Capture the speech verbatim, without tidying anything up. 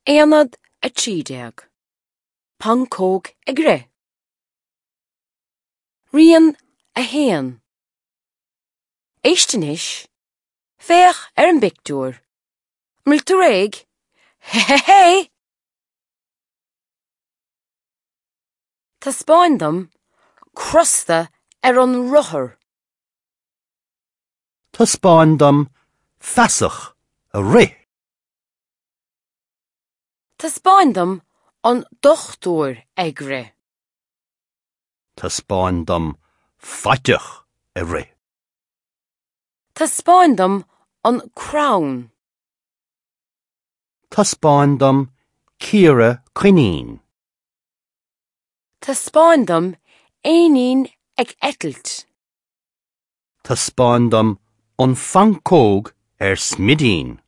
Aonad a trí déag. Pancóg ag rith. Rian a haon. Éist anois. Féach ar an bpictiúr. An bhfuil tú réidh? Hé hé hé! Taispeáin dom crosta ar an rothar. Taispeáin dom feasach ag rith. Taispeáin dom an dochtúir ag rith. Taispeáin dom faiteach ag rith. Taispeáin dom an crann. Taispeáin dom caora coinín. Taispeáin dom éinín ag eitilt. Taispeáin dom an phancóg ar smidín.